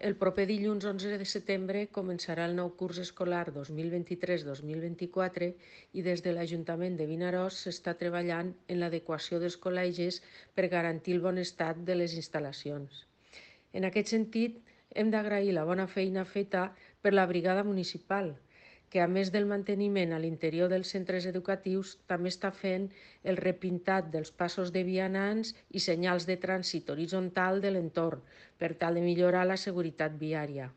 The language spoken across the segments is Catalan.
el proper dilluns 11 de setembre començarà el nou curs escolar 2023-2024 i des de l'Ajuntament de Vinaròs s'està treballant en l'adequació dels col·legis per garantir el bon estat de les instal·lacions. En aquest sentit, hem d'agrair la bona feina feta per la brigada municipal, que a més del manteniment a l'interior dels centres educatius també està fent el repintat dels passos de vianants i senyals de trànsit horitzontal de l'entorn per tal de millorar la seguretat viària.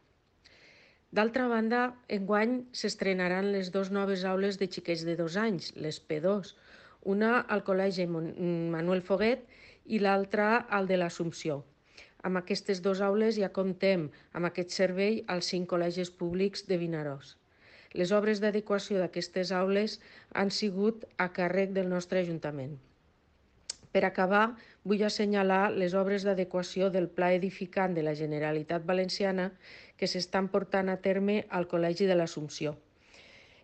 D'altra banda, enguany s'estrenaran les dues noves aules de xiquets de 2 anys, les P2, una al Col·legi Manuel Foguet i l'altra al de l'Assumpció. Amb aquestes dues aules ja comptem amb aquest servei als 5 col·legis públics de Vinaròs. Les obres d'adequació d'aquestes aules han sigut a càrrec del nostre Ajuntament. Per acabar, vull assenyalar les obres d'adequació del Pla Edificant de la Generalitat Valenciana que s'estan portant a terme al Col·legi de l'Assumpció.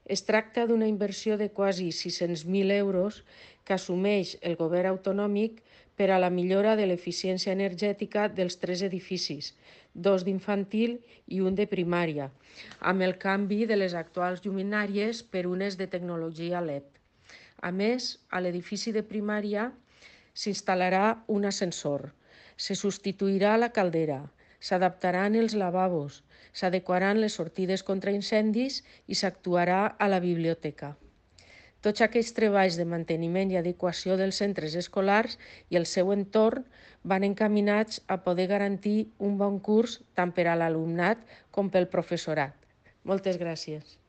Es tracta d'una inversió de quasi 600.000 euros que assumeix el govern autonòmic per a la millora de l'eficiència energètica dels 3 edificis, 2 d'infantil i un de primària, amb el canvi de les actuals lluminàries per unes de tecnologia LED. A més, a l'edifici de primària s'instal·larà un ascensor, se substituirà la caldera, s'adaptaran els lavabos, s'adequaran les sortides contra incendis i s'actuarà a la biblioteca. Tots aquests treballs de manteniment i adequació dels centres escolars i el seu entorn van encaminats a poder garantir un bon curs tant per a l'alumnat com pel professorat. Moltes gràcies.